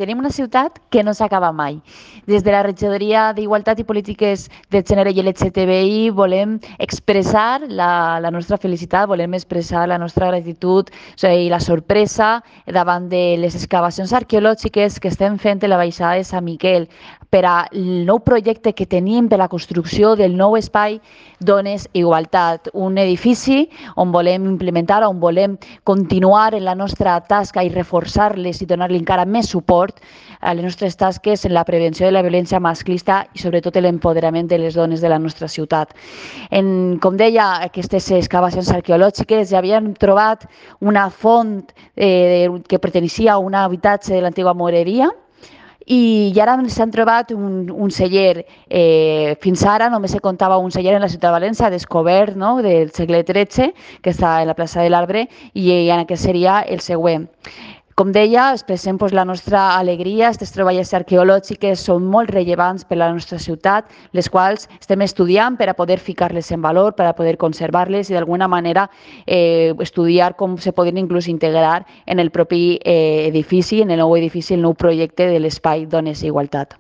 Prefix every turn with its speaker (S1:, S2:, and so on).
S1: Tenim una ciutat que no s'acaba mai. Des de la Regidoria d'Igualtat i Polítiques de Gènere i LGTBI volem expressar la nostra felicitat, volem expressar la nostra gratitud i la sorpresa davant de les excavacions arqueològiques que estem fent a la baixada de Sant Miquel per al nou projecte que tenim per la construcció del nou espai Dones Igualtat, un edifici on volem implementar, on volem continuar en la nostra tasca i reforçar-les i donar-li encara més suport a les nostres tasques en la prevenció de la violència masclista i sobretot l'empoderament de les dones de la nostra ciutat. Com deia, aquestes excavacions arqueològiques ja havien trobat una font que pertanyia a un habitatge de l'antiga moreria, i ara s'han trobat un celler. Fins ara només se comptava un celler en la ciutat de València, descobert, no?, del segle XIII, que està a la plaça de l'Arbre, i aquest seria el següent. Com deia, expressem la nostra alegria. Aquestes troballes arqueològiques són molt rellevants per a la nostra ciutat, les quals estem estudiant per a poder ficar-les en valor, per a poder conservar-les i d'alguna manera estudiar com se podrien inclús integrar en el propi edifici, en el nou edifici, el nou projecte de l'espai Dones i Igualtat.